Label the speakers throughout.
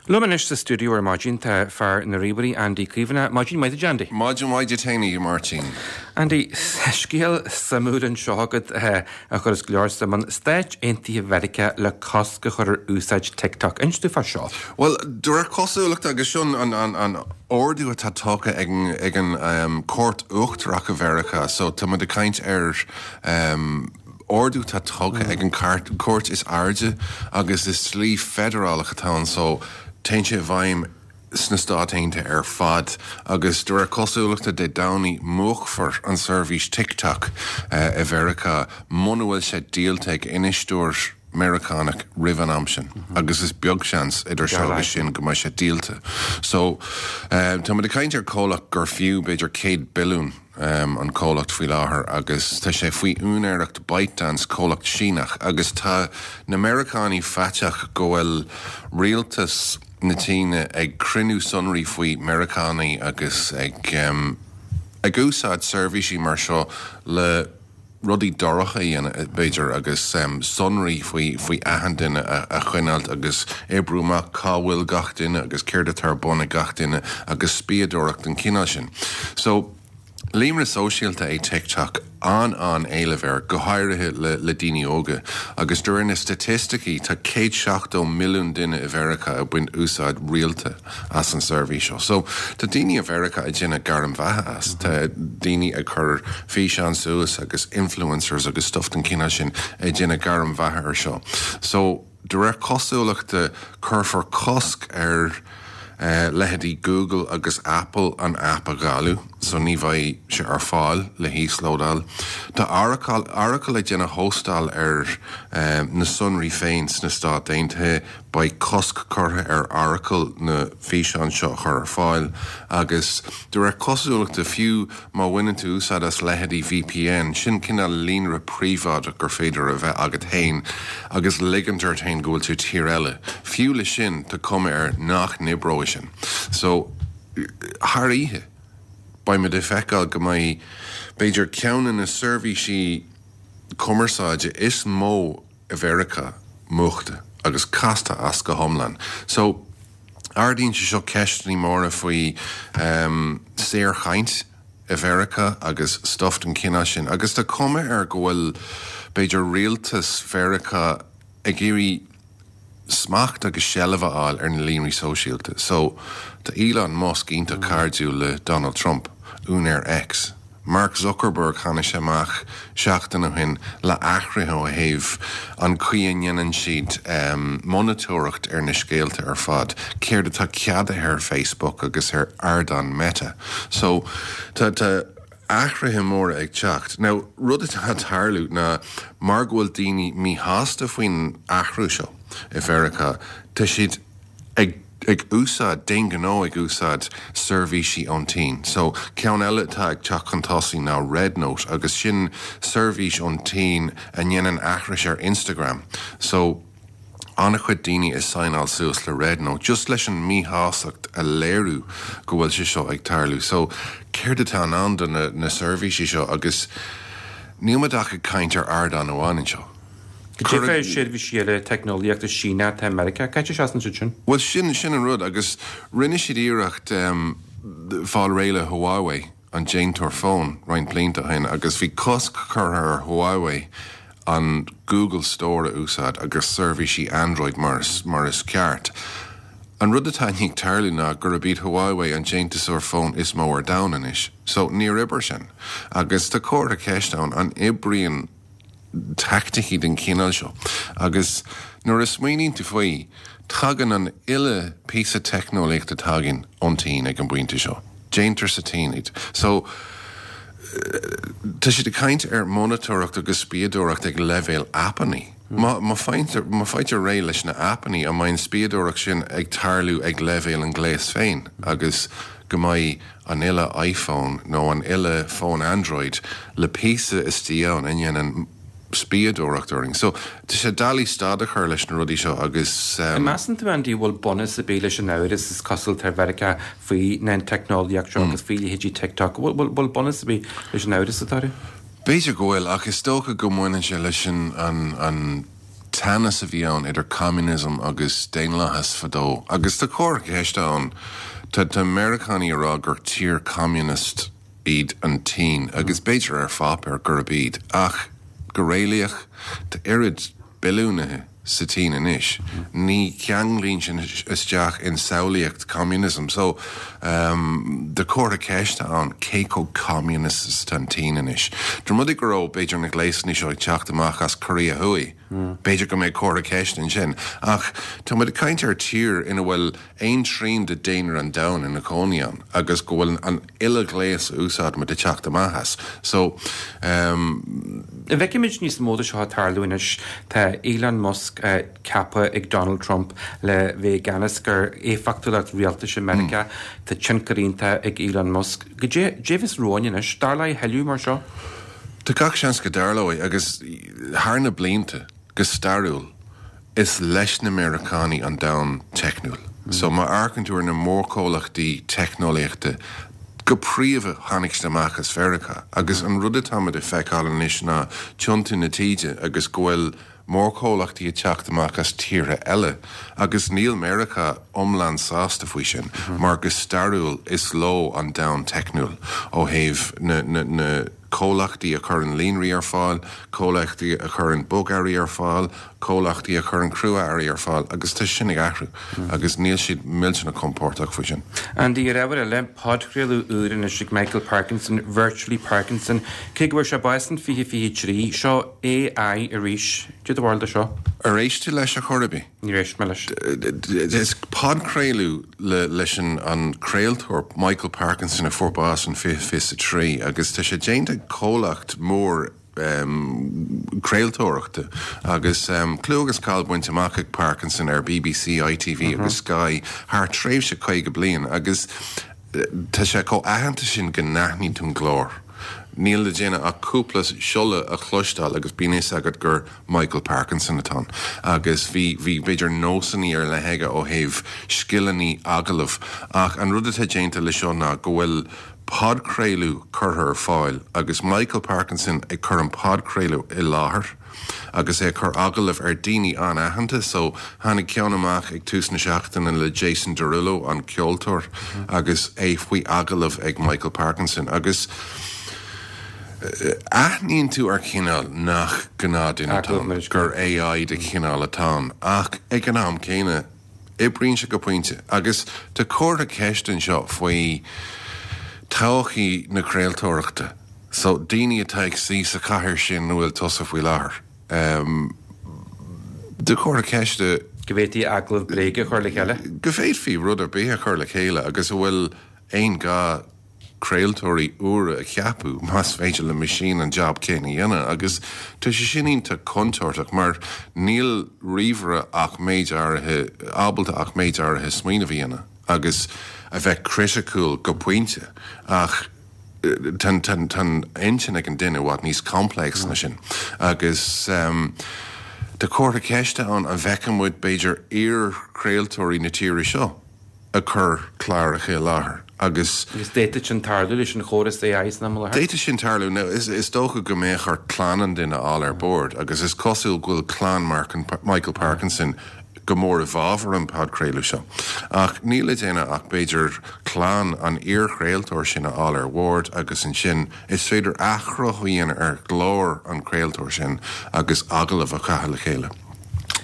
Speaker 1: Liom anois sa stiúideo ar maidin tá fear na ríomhairí, Andy Caomhánach. Maidin mhaith duit, Andy.
Speaker 2: Maidin mhaith duit fhéin, a Mháirtín.
Speaker 1: Andy, scéal suimiúil anseo agat a chuireas go leor suim ann. Stáit Aontaithe Mheiriceá le cosc a chur ar úsáid TikTok. Inis domh fá seo.
Speaker 2: Bhuel, de réir cosúlachta, agus seo an ordú atá tugtha ag an Cúirt Uachtarach i Mheiriceá, so tá muid ag caint ar ordú atá tugtha ag an gcúirt is airde agus is dlí feidearálach atá ann so téann sé i bhfeidhm sna Stáit Aontaithe ar fad agus de réir cosúlachta Dé Domhnaigh múchfar an seirbhís TikTok i Mheiriceá muna bhfuil sé díolta ag infheisteoir Meiriceánach roimh an am sin agus is beag seans idir seo agus sin go mbeidh sé díolta. So tá muid ag caint ar comhlacht gur fiú b'fhéidir 100 billiún an comhlacht faoi láthair agus tá sé faoi úinéireacht ByteDance, comhlacht Síneach, agus tá na Meiriceánaigh faiteach go bhfuil rialtas na tSíne ag cruinniú sonraí faoi Meiriceánaigh agus ag ag úsáid seirbhísí mar seo le rudaí dorcha a dhéanamh, b'fhéidir, agus sonraí faoi faoi achan duine a choinneáilt agus oibriú amach cá bhfuil gach duine agus céard atá ar bun ag gach duine agus spiadóireacht den chineál sin. So, líonra sóisialta é TikTok, an-an-éileamh air, go háirithe le le daoine óga, agus de réir na staitisticí tá 170 milliún duine i Mheiriceá ag baint úsáid rialta as an seirbhís seo. So, tá daoine i Mheiriceá ag déanamh gairm bheatha as. Tá daoine ag cur físeán suas agus influencers agus stuff den chineál sin ag déanamh gairm bheatha ar seo. So, de réir cosúlachta, cuirfear cosc ar leithéidí Google agus Apple an aip a dháileadh, so ní bheidh sé ar fáil le híoslódáil. Tá Oracle, Oracle ag déanamh hóstáil ar na sonraí féin sna Stáit Aontaithe. Beidh cosc curtha ar Oracle na físeáin seo a chur ar fáil agus, de réir cosúlachta, fiú má bhaineann tú úsáid as leithéidí VPN, sin cineál líonra príobháideach gur féidir a bheith agat féin agus ligint ort féin go bhfuil tú i tír eile, fiú le sin, tá cuma air nach n-oibreoidh sin. So, thar oíche, beimid ag feiceáil go mbeidh, b'fhéidir, ceann de na seirbhísí cumarsáide is mó i Mheiriceá múchta agus casta as go hiomlán. So, ardaíonn sé seo ceisteanna móra faoi saorchaint i Mheiriceá agus stuff den chineál sin agus tá cuma air go bhfuil, b'fhéidir, rialtas Mheiriceá ag iarraidh smacht agus seilbh a fháil ar na líonraí sóisialta. So, tá Elon Musk iontach cairdiúil le Donald Trump, úinéir X. Mark Zuckerberg, tháinig sé amach seachtain ó shin le athruithe ó thaobh an chaoi a ndéanann siad monatóireacht ar na scéalta ar fad, céard atá ceadaithe ar Facebook agus ar ardán Meta. So, tá tá athruithe móra ag teacht. Now, rud atá ag tarlú ná mar go bhfuil daoine míshásta faoin athrú seo i Mheiriceá, tá siad ag ag úsáid, d'aon ghnó ag úsáid seirbhísí ón tSín. So, ceann eile atá ag teacht chun tosaigh ná RedNote agus sin seirbhís ón tSín a ndéanann aithris ar Instagram. So, an-chuid daoine ag signeáil suas le RedNote just leis an míshásacht a léiriú go bhfuil sé seo ag tarlú. So, céard atá i ndán do na na seirbhísí seo agus níl muid ach ag caint ar ardán amháin anseo.
Speaker 1: Cad é fá seirbhísí eile teicneolaíochta Síneach atá i Meiriceá? Cá seasann siad sin?
Speaker 2: Bhuel, sin, sin an rud, agus rinne siad iarracht fáil réidh le Huawei, an déantóir fón, roinnt blianta ó shin, agus bhí cosc curtha ar Huawei an Google Store a úsáid agus seirbhísí Android mar is, mar is ceart. An rud atá i ndiaidh tarlú ná gurb iad Huawei an déantúsóir fón is mó ar domhan anois. So, níor oibir sin. Agus tá comhartha ceiste ann, an oibríonn teaicticí den chineál seo. Agus nuair a smaoiníonn tú faoi, tagann an uile píosa teicneolaíochta atá againn ón tSín ag an bpointe seo. Déantar sa tSín iad. So, tá siad ag caint ar monatóireacht agus spiadóireacht ag leibhéal aipeanna. Má, má faightear, má faightear réidh leis na aipeanna, an mbeidh an spiadóireacht sin ag tarlú ag leibhéal an ghléas féin agus go mbeidh an uile iPhone nó an uile fón Android le píosa istigh ann a ndéanann spiadóireacht orainn. So, tá sé doiligh stad a chur leis na rudaí seo agus.
Speaker 1: An measann tú, Andy, an bhfuil bunús ar bith leis an amhras is cosúil atá ar Mheiriceá faoi na teicneolaíocht seo agus faoi leithéidí TikTok? An bhfuil bunús ar bith leis an amhras atá orthu?
Speaker 2: B'fhéidir go bhfuil, ach is dócha go mbaineann sé leis an an. teannas a bhí ann idir communism agus daonlathas fadó agus tá comhartha ceiste ann. Tá tá Meiriceánaigh ag rá gur tír communist iad an tSín agus b'fhéidir ar pháipéar gurb iad ach go réalaíoch tá oiread billiúnaithe sa tSín anois. Ní cheanglaíonn sin isteach in samhlaíocht communism. So tá comhartha ceiste ann cé chomh communist is atá an tSín anois. Dá mba rud é go raibh b'fhéidir na gléasanna seo ag teacht amach as Korea Thuaidh, b'fhéidir go mbeadh comhartha ceiste ansin. Ach tá muid ag caint ar tír ina bhfuil aon trian de daonra an domhain ina cónaí ann agus go bhfuil an uile ghléas a úsáidimid ag teacht amach as. So,
Speaker 1: ehm. An bhfeicfimid níos mó de seo ag tarlú anois? Tá Elon Musk ceaptha ag Donald Trump le bheith i gceannas ar éifeachtúlacht rialtais i Meiriceá. Tá tionchar iontach ag Elon Musk. Goidé a bheas romhainn anois? Tarlóidh a thuilleadh mar seo?
Speaker 2: Tá gach seans go dtarlóidh agus thar na blianta, go stairiúil, Is leis na Meiriceánaigh an domhan teicniúil. So má amharcann tú ar na mórchomhlachtaí teicneolaíochta, go príomha tháinig siad amach as Mheiriceá. Agus an rud atáimid ag feiceáil anois ná tiontú na taoide agus go bhfuil mórchomhlachtaí ag teacht amach as tíortha eile agus níl Meiriceá iomlán sásta faoi sin mar go stairiúil is leo an domhan teicniúil ó thaobh na na comhlachtaí a chuireann líonraí ar fáil, comhlachtaí a chuireann bogearraí ar fáil, comhlachtaí a chuireann crua-earraí ar fáil agus tá sin ag athrú agus níl siad millteanach compordach faoi sin.
Speaker 1: Andy, ar ábhar eile, podchraoladh úr anois ag Michael Parkinson, Virtually Parkinson. Cé go bhfuair sé bás in 2023, seo AI arís. Cad é do bharúil de seo?
Speaker 2: Ar éist tú leis ar chor ar bith?
Speaker 1: Níor éist mé leis.
Speaker 2: Is podchraoladh leis an craoltóir Michael Parkinson a fuair bás in 2023 agus tá sé déanta ag comhlacht mór craoltóireachta agus clú agus cáil bainte amach ag Parkinson ar BBC, ITV agus Sky thar tréimhse 50 bliain agus tá sé chomh aitheanta sin go n-aithníonn tú an glór. Níl le déanamh ach cúpla siolla a chloisteáil agus bíonn fhios agat gur Michael Parkinson atá ann. Agus bhí, bhí b'fhéidir nósanna ar leith aige ó thaobh scileanna agallaimh. Ach an rud atá déanta le seo ná go bhfuil podchraoladh curtha ar fáil agus Michael Parkinson ag cur an podchraoladh i láthair agus é ag cur agallamh ar daoine an-aitheanta. So tháinig ceann amach ag tús na seachtaine le Jason Derulo, an ceoltóir, agus é faoi agallamh ag Michael Parkinson agus aithníonn tú ar chineál nach gnáthdhuine atá ann, gur AI de chineál atá ann ach ag an am céanna, Oibríonn sé go pointe. Agus tá comhartha ceiste anseo faoi todhchaí na craoltóireachta. So, daoine atá ag suí sa chathaoir sin ina bhfuil tusa faoi láthair. Tá comhartha ceiste.
Speaker 1: Go bhféadfaí agallamh bréige a chur le chéile.
Speaker 2: Go bhféadfaí rud ar bith a chur le chéile agus an bhfuil aon ghá craoltóirí úra a cheapadh más féidir le meaisín an jab céanna a dhéanamh agus tá sé sin iontach contúirteach mar níl ríomhaire ach méid áirithe ábalta ach méid áirithe smaoineamh a dhéanamh agus a bheith criticiúil go pointe ach tá an intinn ag an duine i bhfad níos complex ná sin agus tá comhartha ceiste ann an bhfeicfidh muid b'fhéidir iar-chraoltóirí na tíre seo ag cur cláracha i láthair agus.
Speaker 1: Agus d'fhéadfadh sin tarlú leis an chóras AI san am i láthair.
Speaker 2: D'fhéadfadh sin tarlú. Now, is dócha go mbeadh ort clann an duine a fháil ar bord agus is cosúil go bhfuil clann Michael Parkinson go mór i bhfabhar an podchraoladh seo. Ach níl le déanamh ach b'fhéidir clann an iarchraoltóir sin a fháil ar bhord agus ansin is féidir athchruthú a dhéanamh ar ghlór an chraoltóir sin agus agallamh a chaitheamh le chéile.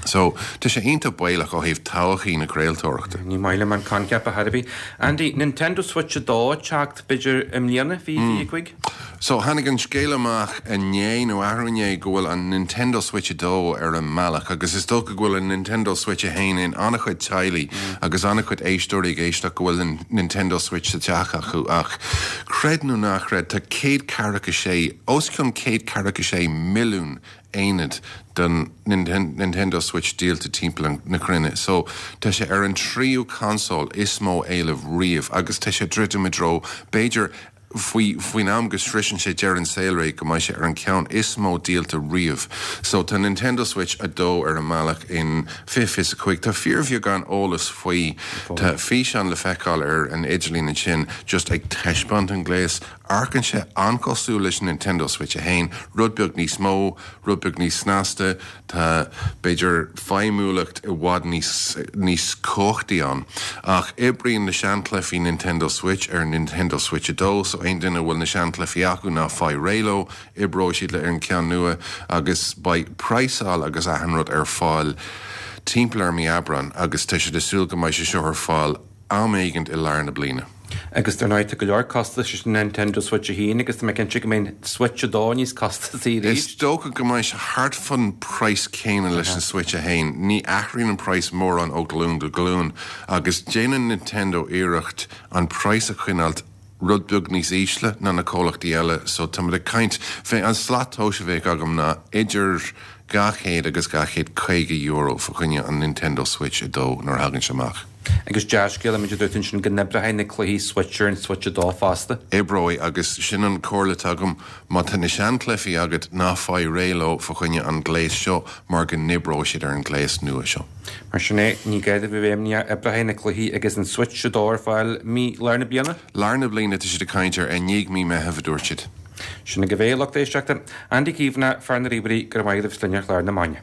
Speaker 2: So, tá sé iontach baolach ó thaobh todhchaí na craoltóireachta.
Speaker 1: Ní maith liom an coincheap ar chor ar bith. Andy, Nintendo Switch 2 ag teacht, b'fhéidir, i mbliana, 2025?
Speaker 2: So, tháinig an scéal amach inné nó arú inné go bhfuil an Nintendo Switch 2 ar an mbealach agus is dócha go bhfuil an Nintendo Switch 1 in an-chuid teaghlaigh agus an-chuid éisteoirí ag éisteacht go bhfuil an Nintendo Switch sa teach acu ach creid nó ná creid tá 146, os cionn 146 milliún aonad den Nintendo Switch díolta timpeall na cruinne so tá sé ar an tríú consól is mó éileamh riamh agus tá sé ag druidim i dtreo b'fhéidir. Faoi faoin am go sroiseann sé deireadh an saolré go mbeidh sé ar an ceann is mó díolta riamh. So tá Nintendo Switch 2 ar an mbealach in 2025. Tá fíorbheagán eolas faoi. Tá físeán le feiceáil ar an idirlíon ansin just ag taispeáint an gléas. Amharcann sé an-chosúil leis an Nintendo Switch 1, rud beag níos mó, rud beag níos snasta. Tá, b'fhéidir, feidhmiúlacht i bhfad níos níos cumhachtaí ann. Ach oibríonn na seanchluichí Nintendo Switch ar an Nintendo Switch 2, so aon duine a bhfuil na seanchluichí acu ná faigh réidh leo, oibreoidh siad le ar an ceann nua agus beidh praghsáil agus achan rud ar fáil timpeall ar mí Aibreán agus tá siad ag súil go mbeidh sé seo ar fáil am éigint i lár na bliana.
Speaker 1: Agus dar ndóigh tá go leor costais leis an Nintendo Switch 1 agus tá mé cinnte go mbeidh an Switch 2 níos costasaí
Speaker 2: arís. Is dócha go mbeidh sé thart fán praghas céanna leis an Switch 1. Ní athraíonn an praghas mórán ó ghlúin go glúin agus déanann Nintendo iarracht an praghas a choinneáilt rud beag níos ísle ná na comhlachtaí eile so táimid ag caint fé an slat tomhais a bheadh agam ná idir €200 agus €250 fa choinne an Nintendo Switch 2 nuair a thagann sé amach.
Speaker 1: Agus dea-scéala, mar a dúirt tú ansin, go n-oibreoidh na cluichí Switch ar an Switch 2 fosta.
Speaker 2: Oibreoidh, agus sin an comhairle atá agam, má tá na seanchluichí agat, ná faigh réidh leo fa choinne an gléas seo mar go n-oibreoidh siad ar an ngléas nua seo.
Speaker 1: Mar sin é, ní gá duit a bheith imníoch, oibreoidh na cluichí agus an Switch 2 ar fáil mí lár na bliana?
Speaker 2: Lár na bliana tá siad ag caint air, i ndiaidh mí Meitheamh a dúirt siad.
Speaker 1: Sin agaibh é, lucht éisteachta. Andy Caomhánach, fear na ríomhairí, go raibh maith agat as bheith linn ar chlár na Maidine.